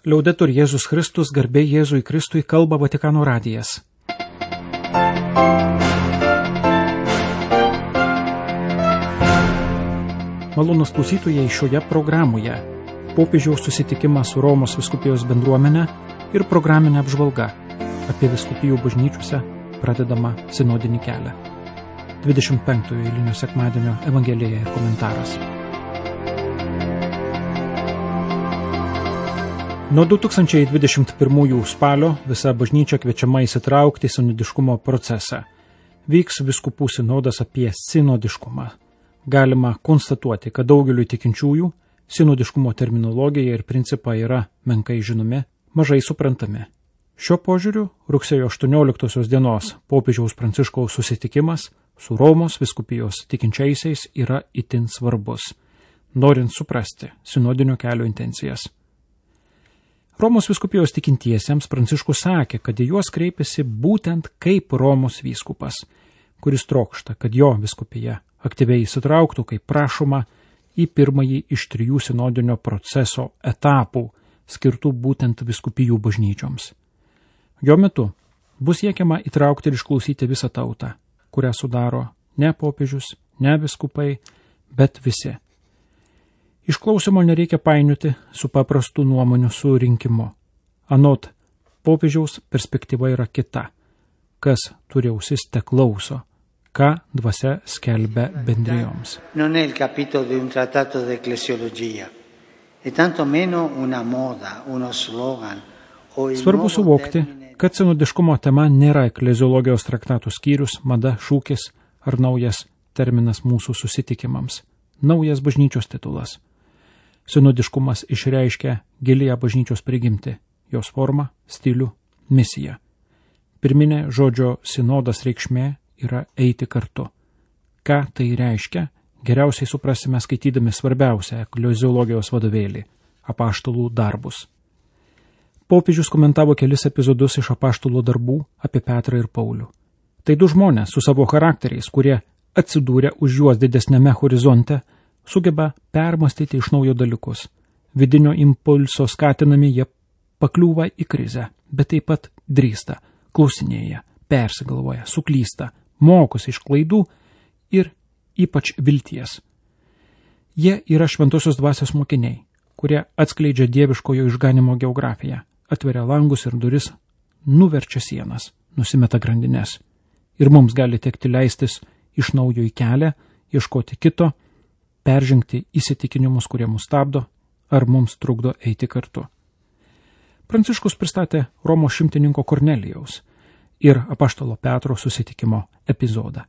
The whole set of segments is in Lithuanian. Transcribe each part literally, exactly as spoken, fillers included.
Liaudetur Jėzus Kristus, garbė Jėzui Kristui, kalba Vatikano radijas. Malonūs klausytojai, šioje programoje popiežiaus susitikimas su Romos vyskupijos bendruomene ir programinė apžvalga apie vyskupijų bažnyčiose pradedama sinodinį kelią. dvidešimt penktojo eilinio sekmadienio evangelija ir komentaras. Nuo du tūkstančiai dvidešimt pirmųjų spalio visa bažnyčia kviečiama įsitraukti į sinodiškumo procesą. Vyks vyskupų sinodas apie sinodiškumą. Galima konstatuoti, kad daugeliui tikinčiųjų sinodiškumo terminologija ir principai yra menkai žinomi, mažai suprantami. Šiuo požiūriu rugsėjo aštuonioliktosios dienos popiežiaus Pranciškaus susitikimas su Romos vyskupijos tikinčiaisiais yra itin svarbus, norint suprasti sinodinio kelio intencijas. Romos vyskupijos tikintiesiems Pranciškus sakė, kad į juos kreipiasi būtent kaip Romos vyskupas, kuris trokšta, kad jo vyskupija aktyviai įsitrauktų, kaip prašoma, į pirmąjį iš trijų sinodinio proceso etapų, skirtų būtent vyskupijų bažnyčioms. Jo metu bus siekiama įtraukti ir išklausyti visą tautą, kurią sudaro ne popiežius, ne vyskupai, bet visi. Išklausimo nereikia painioti su paprastu nuomonių surinkimu. Anot popiežiaus perspektyva yra kita. Kas turi ausis, te klauso, ką dvasia skelbia bendrijoms. Non è il capitolo di un trattato di ecclesiologia, e tanto meno una moda, uno slogan o il Svarbu suvokti, kad sinodiškumo tema nėra ekleziologijos traktatų skyrius, mada, šūkis ar naujas terminas mūsų susitikimams, naujas bažnyčios titulas. Sinodiškumas išreiškia gilią bažnyčios prigimtį, jos formą, stilių, misiją. Pirminė žodžio sinodas reikšmė yra eiti kartu. Ką tai reiškia, geriausiai suprasime skaitydami svarbiausią ekleziologijos vadovėlį – apaštalų darbus. Popiežius komentavo kelis epizodus iš apaštalų darbų apie Petrą ir Paulių. Tai du žmonės su savo charakteriais, kurie atsidūrė už juos didesnėme horizonte, sugeba permastyti iš naujo dalykus. Vidinio impulso skatinami jie pakliūva į krizę, bet taip pat drįsta, klausinėja, persigalvoja, suklysta, mokosi iš klaidų ir ypač vilties. Jie yra šventosios dvasios mokiniai, kurie atskleidžia dieviškojo išganimo geografiją, atveria langus ir duris, nuverčia sienas, nusimeta grandines. Ir mums gali tekti leistis iš naujo į kelią, ieškoti kito, peržengti įsitikinimus, kurie mus stabdo, ar mums trukdo eiti kartu. Pranciškus pristatė Romos šimtininko Kornelijaus ir apaštalo Petro susitikimo epizodą.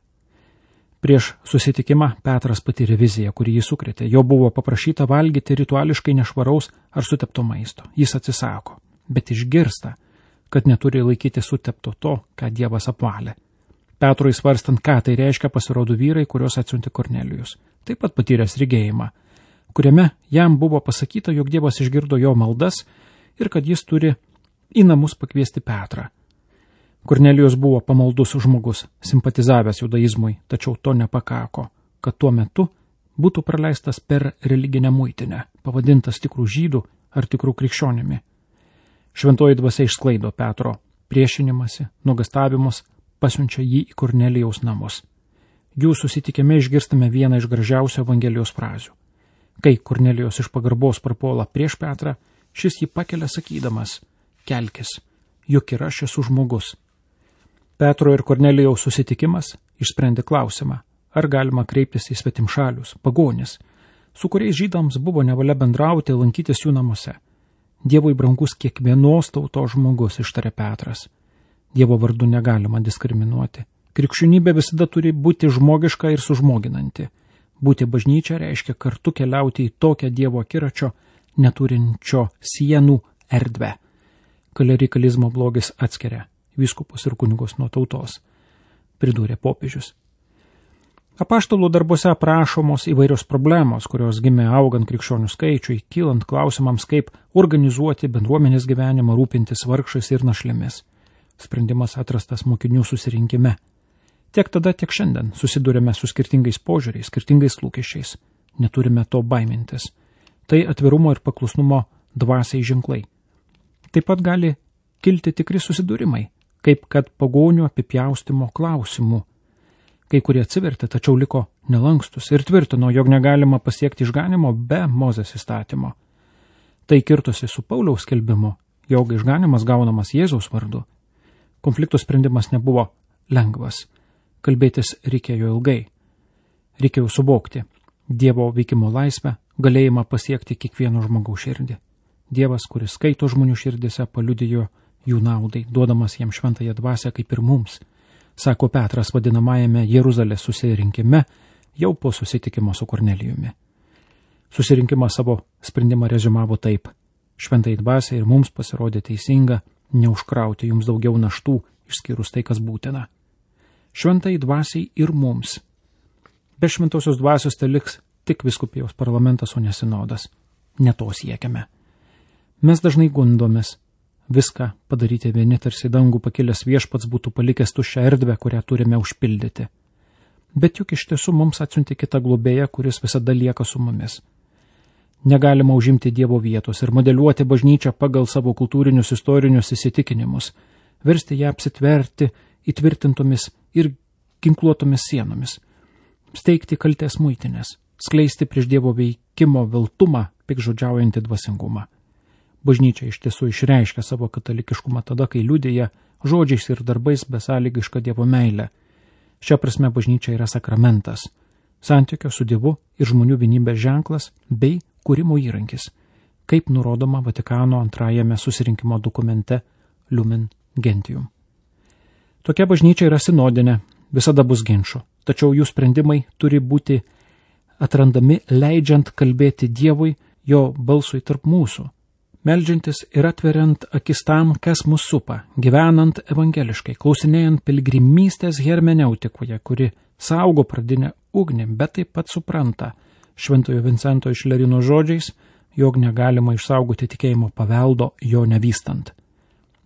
Prieš susitikimą Petras patyrė viziją, kuri jį sukrėtė. Jo buvo paprašyta valgyti rituališkai nešvaraus ar sutepto maisto. Jis atsisako, bet išgirsta, kad neturi laikyti sutepto to, ką Dievas apvalė. Petrui svarstant, ką tai reiškia, pasirodo vyrai, kurios atsiuntė Kornelijus, taip pat patyręs regėjimą, kuriame jam buvo pasakyta, jog Dievas išgirdo jo maldas ir kad jis turi į namus pakviesti Petrą. Kornelijus buvo pamaldus žmogus, simpatizavęs judaizmui, tačiau to nepakako, kad tuo metu būtų praleistas per religinę muitinę, pavadintas tikrų žydų ar tikrų krikščionimi. Šventoji dvasia išsklaido Petro priešinimąsi, nuogastavimus, pasiunčia jį į Kornelijaus namus. Jų susitikime išgirstame vieną iš gražiausių Evangelijos frazių. Kai Kornelijos iš pagarbos prapuola prieš Petrą, šis jį pakelia sakydamas, kelkis, juk ir aš esu žmogus. Petro ir Kornelijaus susitikimas išsprendė klausimą, ar galima kreiptis į svetimšalius, pagonis, su kuriais žydams buvo nevalia bendrauti, lankytis jų namuose. Dievui brangus kiekvienos tautos žmogus, ištarė Petras. Dievo vardu negalima diskriminuoti. Krikščionybė visada turi būti žmogiška ir sužmoginanti. Būti bažnyčia reiškia kartu keliauti į tokią Dievo akiračio, neturinčio sienų erdvę. Klerikalizmo blogis atskiria vyskupus ir kunigus nuo tautos, pridūrė popiežius. Apaštalų darbuose aprašomos įvairios problemos, kurios gimė augant krikščionių skaičiui, kylant klausimams, kaip organizuoti bendruomenės gyvenimą, rūpintis vargšais ir našlėmis. Sprendimas atrastas mokinių susirinkime. Tiek tada, tiek šiandien susidurėme su skirtingais požiūriais, skirtingais lūkesčiais. Neturime to baimintis. Tai atvirumo ir paklusnumo dvasiai ženklai. Taip pat gali kilti tikri susidūrimai, kaip kad pagonių apipjaustimo klausimų. Kai kurie atsivertė, tačiau liko nelankstus ir tvirtino, jog negalima pasiekti išganimo be Mozės įstatymo. Tai kirtosi su Pauliaus skelbimu, jog išganimas gaunamas Jėzaus vardu. Konflikto sprendimas nebuvo lengvas. Kalbėtis reikėjo ilgai. Reikėjo suvokti Dievo veikimo laisvę, galėjimą pasiekti kiekvieno žmogaus širdį. Dievas, kuris skaito žmonių širdise, paliudijo jų naudai, duodamas jiems šventąją dvasią kaip ir mums, sako Petras vadinamajame Jeruzalės susirinkime, jau po susitikimo su Kornelijumi. Susirinkimas savo sprendimą rezumavo taip: šventai dvasiai ir mums pasirodė teisinga neužkrauti jums daugiau naštų, išskyrus tai, kas būtina. Šventai dvasiai ir mums. Be šventosios dvasios tai liks tik vyskupijos parlamentas, o ne sinodas. Ne to siekiame. Mes dažnai gundomės viską padaryti vieni, tarsi dangų pakilęs viešpats būtų palikęs tuščią erdvę, kurią turime užpildyti. Bet juk iš tiesų mums atsiunti kitą globėją, kuris visada lieka su mumis. Negalima užimti Dievo vietos ir modeliuoti bažnyčią pagal savo kultūrinius istorinius įsitikinimus, versti ją apsitverti įtvirtintomis ir ginkluotomis sienomis, steigti kaltės muitinės, skleisti prieš Dievo veikimo veltumą, pikžodžiaujantį dvasingumą. Bažnyčia iš tiesų išreiškia savo katalikiškumą tada, kai liudija žodžiais ir darbais besąlygišką Dievo meilę. Šia prasme bažnyčia yra sakramentas, santykio su Dievu ir žmonių vienybės ženklas bei kūrimo įrankis, kaip nurodoma Vatikano antrajame susirinkimo dokumente Lumen Gentium. Tokia bažnyčia yra sinodinė, visada bus ginčų, tačiau jų sprendimai turi būti atrandami leidžiant kalbėti Dievui, jo balsui tarp mūsų, meldžiantis ir atveriant akis tam, kas mus supa, gyvenant evangeliškai, klausinėjant piligrimystės hermeneutikoje, kuri saugo pradinę ugnį, bet taip pat supranta Šventojo Vincento iš Lerino žodžiais, jog negalima išsaugoti tikėjimo paveldo jo nevystant.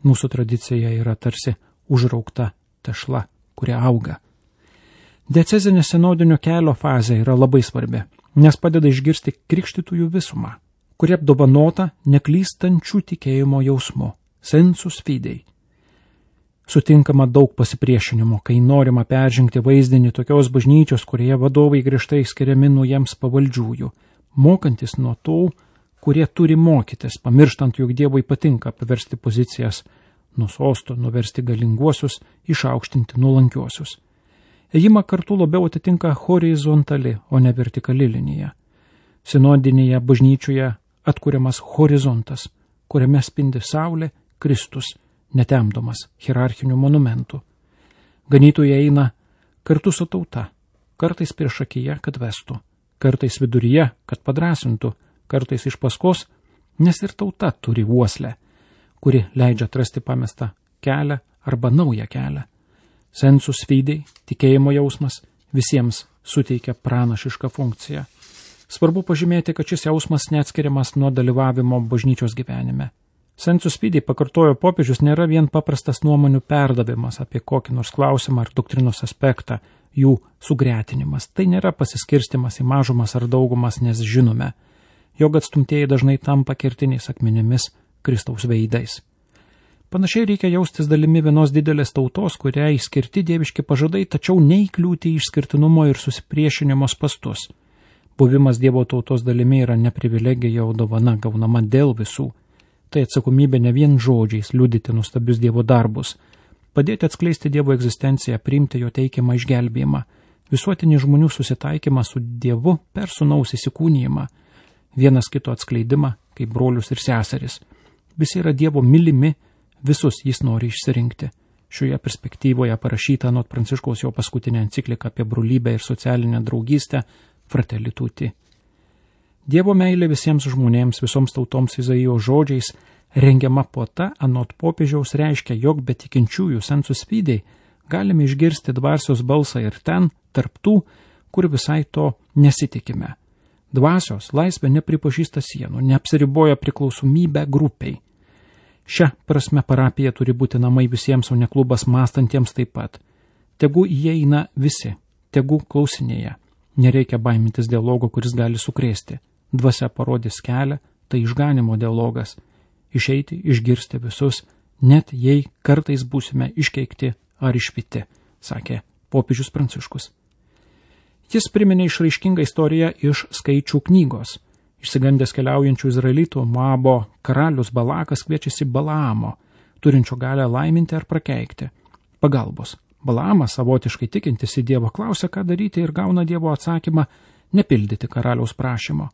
Mūsų tradicija yra tarsi užraukta tešla, kuri auga. Diecezinė sinodinio kelio fazė yra labai svarbi, nes padeda išgirsti krikštytųjų visumą, kuri apdovanota neklystančių tikėjimo jausmu, sensus fidei. Sutinkama daug pasipriešinimo, kai norima peržengti vaizdinį tokios bažnyčios, kurioje vadovai griežtai skiriami nuo jiems pavaldžiųjų, mokantis nuo tų, kurie turi mokytis, pamirštant, jog Dievui patinka paversti pozicijas nuo sosto, nuversti galinguosius, išaukštinti nuolankiuosius. Ėjimą kartu labiau atitinka horizontali, o ne vertikali linija. Sinodinėje bažnyčioje atkuriamas horizontas, kuriame spindi saulė, Kristus, netemdomas hierarchinių monumentų. Ganytojai eina kartu su tauta, kartais prieš akiją, kad vestų, kartais viduryje, kad padrasintų, kartais iš paskos, nes ir tauta turi uoslę, kuri leidžia atrasti pamestą kelią arba naują kelią. Sensus fidei, tikėjimo jausmas, visiems suteikia pranašišką funkciją. Svarbu pažymėti, kad šis jausmas neatskiriamas nuo dalyvavimo bažnyčios gyvenime. Sensus fidei, pakartojo popiežius, nėra vien paprastas nuomonių perdavimas apie kokį nors klausimą ar doktrinos aspektą, jų sugretinimas. Tai nėra pasiskirstimas į mažumas ar daugumas, nes žinome, jog atstumtieji dažnai tampa kertiniais akmenimis, Kristaus veidais. Panašiai reikia jaustis dalimi vienos didelės tautos, kuriai skirti dieviški pažadai, tačiau neįkliūti į išskirtinumo ir susipriešinimo spastus. Buvimas Dievo tautos dalimi yra ne privilegija, o dovana gaunama dėl visų. Tai atsakomybė ne vien žodžiais liudyti nuostabius Dievo darbus, padėti atskleisti Dievo egzistenciją, priimti jo teikiamą išgelbėjimą, visuotinį žmonių susitaikymą su Dievu per sūnaus įsikūnijimą, vienas kito atskleidimą kaip brolius ir seseris. Visi yra Dievo mylimi, visus jis nori išsirinkti. Šioje perspektyvoje parašyta anot Pranciškaus jo paskutinė enciklika apie brolybę ir socialinę draugystę Fratelli Tutti. Dievo meilė visiems žmonėms, visoms tautoms Izaijo žodžiais rengiama puota anot popiežiaus reiškia, jog be tikinčiųjų sensus fidei galime išgirsti dvasios balsą ir ten, tarp tų, kur visai to nesitikime. Dvasios laisvė nepripažįsta sienų, neapsiriboja priklausomybę grupiai. Šia prasme parapija turi būti namai visiems, o ne klubas mąstantiems taip pat. Tegu įeina visi, tegu klausinėja. Nereikia baimintis dialogo, kuris gali sukrėsti. Dvasia parodys kelią, tai išganimo dialogas. išeiti, išgirsti visus, net jei kartais būsime iškeikti ar išpyti, sakė popiežius Pranciškus. Jis priminė išraiškingą istoriją iš Skaičių knygos. Išsigandęs keliaujančių izraelitų Moabo karalius Balakas kviečiasi Balaamo, turinčio galę laiminti ar prakeikti, pagalbos. Balaamas, savotiškai tikintis į Dievą, klausia, ką daryti ir gauna Dievo atsakymą nepildyti karaliaus prašymo.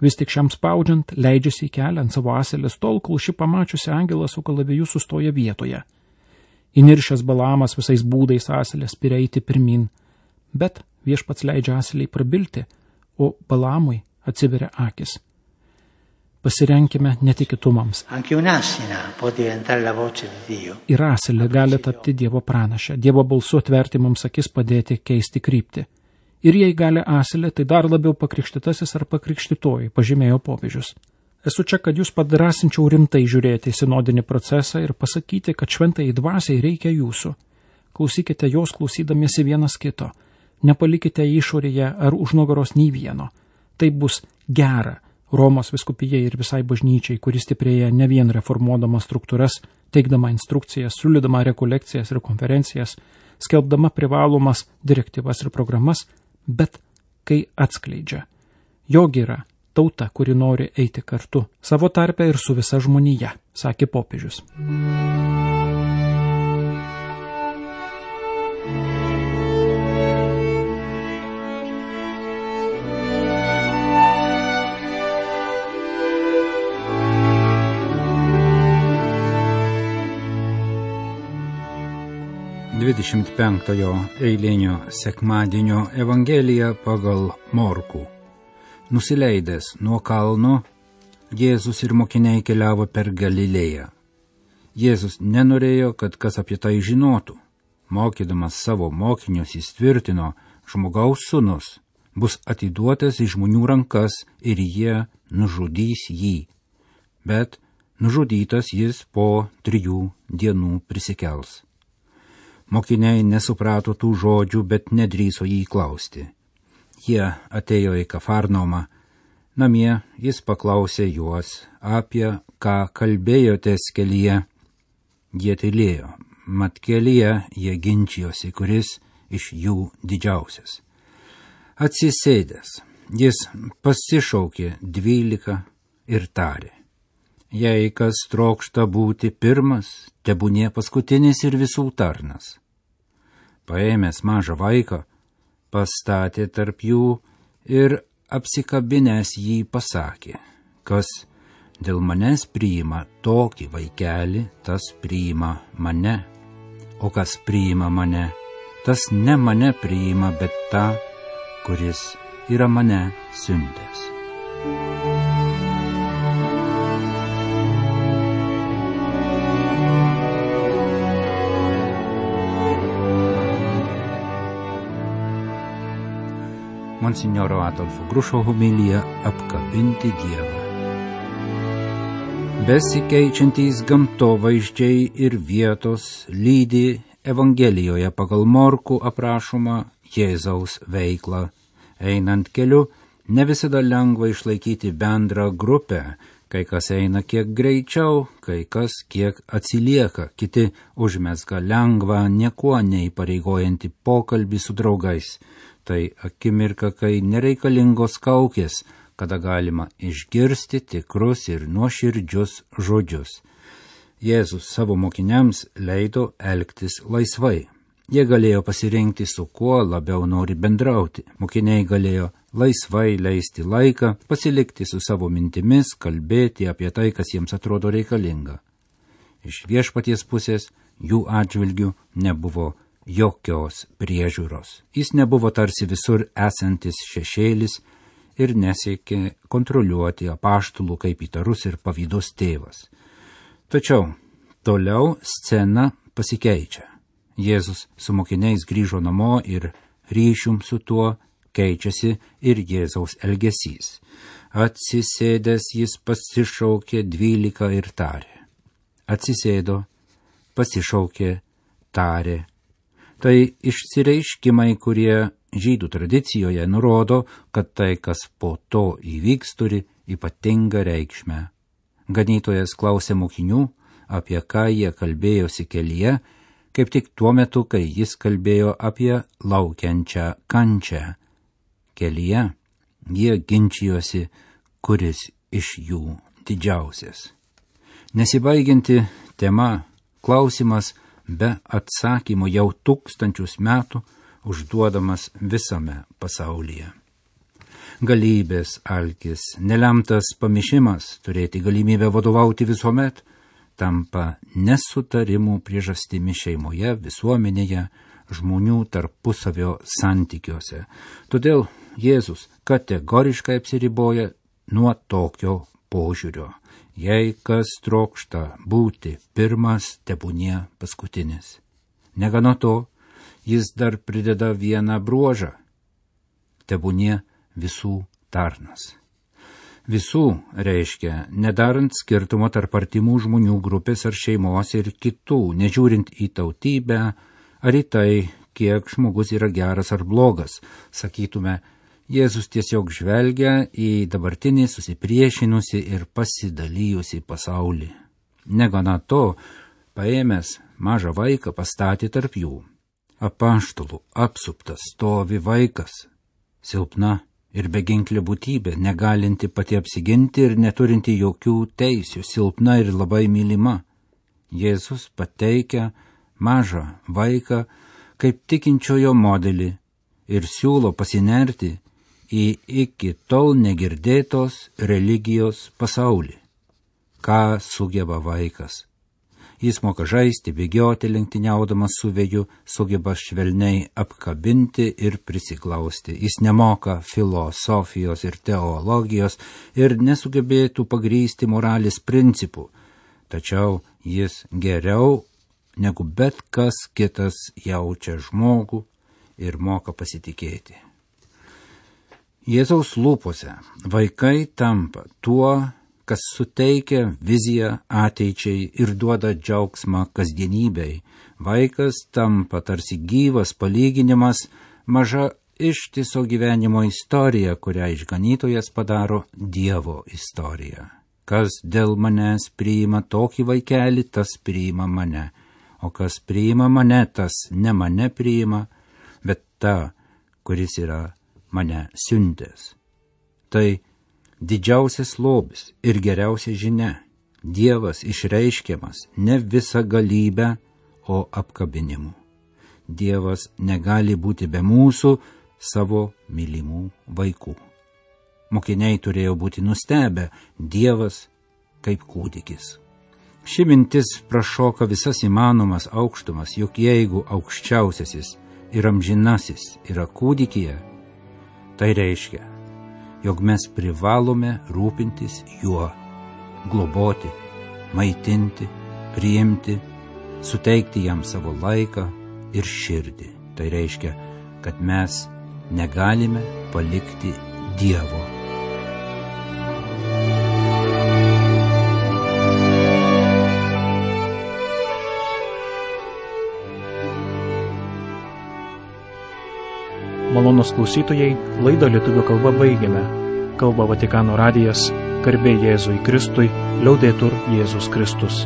Vis tik šiam spaudžiant, leidžiasi į kelią ant savo asilės tol, kol ši pamačiusi angelą su kalaviju sustoja vietoje. Įniršęs Balaamas visais būdais asilės spiria eiti pirmin, bet viešpats leidžia asiliai prabilti, o Balaamui atsiveria akis. Pasirenkime netikėtumams. Ir asilė gali tapti Dievo pranašę, Dievo balsu atverti mums akis, padėti keisti kryptį. Ir jei gali asilė, tai dar labiau pakrikštytasis ar pakrikštytoji, pažymėjo popiežius. Esu čia, kad jūs padrasinčiau rimtai žiūrėti į sinodinį procesą ir pasakyti, kad šventai dvasiai reikia jūsų. Klausykite jos klausydamiesi vienas kito. Nepalikite išorėje ar už nugaros nei vieno. Tai bus gera Romos vyskupijai ir visai bažnyčiai, kuris stiprėja ne vien reformuodama struktūras, teikdama instrukcijas, siūlydama rekolekcijas ir konferencijas, skelbdama privalomas direktyvas ir programas, bet kai atskleidžia. Jog yra tauta, kuri nori eiti kartu, savo tarpe ir su visa žmonija, sakė popiežius. dvidešimt penktojo eilinio sekmadienio Evangelija pagal Morkų. Nusileidęs nuo kalno, Jėzus ir mokiniai keliavo per Galilėją. Jėzus nenorėjo, kad kas apie tai žinotų. Mokydamas savo mokinius jis tvirtino, žmogaus sūnus bus atiduotas į žmonių rankas ir jie nužudys jį. Bet nužudytas jis po trijų dienų prisikels. Mokiniai nesuprato tų žodžių, bet nedrįso jį klausti. Jie atėjo į Kafarnaumą. Namie jis paklausė juos, apie ką kalbėjotės kelyje. Jie tylėjo, mat kelyje jie ginčijosi, kuris iš jų didžiausias. Atsisėdęs, jis pasišaukė dvylika ir tarė. Jei kas trokšta būti pirmas, tebūnie paskutinis ir visų tarnas. Paėmęs mažą vaiką, pastatė tarp jų ir apsikabinęs jį pasakė, kas dėl manęs priima tokį vaikelį, tas priima mane, o kas priima mane, tas ne mane priima, bet tą, kuris yra mane siuntęs. Monsinjoro Adolfo Grušo homilija apkabinti Dievą. Besikeičiantys gamtovaizdžiai ir vietos lydi Evangelijoje pagal Morkų aprašomą Jėzaus veiklą. Einant keliu, ne visada lengva išlaikyti bendrą grupę, kai kas eina kiek greičiau, kai kas kiek atsilieka, kiti užmezga lengvą, niekuo neįpareigojantį pokalbį su draugais. Tai akimirka, kai nereikalingos kaukės, kada galima išgirsti tikrus ir nuoširdžius žodžius. Jėzus savo mokiniams leido elgtis laisvai. Jie galėjo pasirinkti, su kuo labiau nori bendrauti. Mokiniai galėjo laisvai leisti laiką, pasilikti su savo mintimis, kalbėti apie tai, kas jiems atrodo reikalinga. Iš viešpaties pusės jų atžvilgių nebuvo jokios priežiūros. Jis nebuvo tarsi visur esantis šešėlis ir nesiekė kontroliuoti apaštalų kaip įtarus ir pavydus tėvas. Tačiau toliau scena pasikeičia. Jėzus su mokiniais grįžo namo ir ryšium su tuo keičiasi ir Jėzaus elgesys. Atsisėdęs jis pasišaukė dvylika ir tarė. Atsisėdo, pasišaukė, tarė. Tai išsireiškimai, kurie žydų tradicijoje nurodo, kad tai, kas po to įvyks, turi ypatingą reikšmę. Ganytojas klausė mokinių, apie ką jie kalbėjosi kelyje, kaip tik tuo metu, kai jis kalbėjo apie laukiančią kančią. Kelyje jie ginčijosi, kuris iš jų didžiausias. Nesibaigianti tema, klausimas be atsakymo jau tūkstančius metų užduodamas visame pasaulyje. Galybės alkis, nelemtas pamišimas turėti galimybę vadovauti visuomet, tampa nesutarimų priežastimi šeimoje, visuomenėje, žmonių tarpusavio santykiuose. Todėl Jėzus kategoriškai apsiriboja nuo tokio požiūrio. Jei kas trokšta būti pirmas, tebūnie paskutinis. Negana to, jis dar prideda vieną bruožą. Tebūnie visų tarnas. Visų reiškia, nedarant skirtumo tarp artimų žmonių grupės ar šeimos ir kitų, nežiūrint į tautybę ar į tai, kiek žmogus yra geras ar blogas. Sakytume, Jėzus tiesiog žvelgia į dabartinį susipriešinusi ir pasidalijusi pasaulį. Negana to, paėmęs mažą vaiką pastatė tarp jų. Apaštalų apsuptas stovi vaikas, silpna ir beginklė būtybė, negalinti pati apsiginti ir neturinti jokių teisių, silpna ir labai mylima. Jėzus pateikia mažą vaiką kaip tikinčiojo modelį ir siūlo pasinerti į iki tol negirdėtos religijos pasaulį. Ką sugeba vaikas? Jis moka žaisti, bėgioti lenktyniaudamas su vėju, sugeba švelniai apkabinti ir prisiglausti. Jis nemoka filosofijos ir teologijos ir nesugebėtų pagrysti moralės principų, tačiau jis geriau negu bet kas kitas jaučia žmogų ir moka pasitikėti. Jėzaus lūpose vaikai tampa tuo, kas suteikia viziją ateičiai ir duoda džiaugsmą kasdienybei. Vaikas tampa tarsi gyvas palyginimas, maža ištiso gyvenimo istorija, kurią išganytojas padaro Dievo istorija. Kas dėl manęs priima tokį vaikelį, tas priima mane, o kas priima mane, tas ne mane priima, bet tą, kuris yra mane siuntęs. Tai didžiausias lobis ir geriausia žinia. Dievas išreiškiamas ne visa galybė, o apkabinimu. Dievas negali būti be mūsų savo mylimų vaikų. Mokiniai turėjo būti nustebę, Dievas kaip kūdikis. Ši mintis prašoka visas įmanomas aukštumas, juk jeigu aukščiausiasis ir amžinasis yra kūdikyje, tai reiškia, jog mes privalome rūpintis juo, globoti, maitinti, priimti, suteikti jam savo laiką ir širdį. Tai reiškia, kad mes negalime palikti Dievo. Malonūs klausytojai, laidą lietuvių kalba baigėme. Kalba Vatikano radijas, garbė Jėzui Kristui, liaudetur Jėzus Kristus.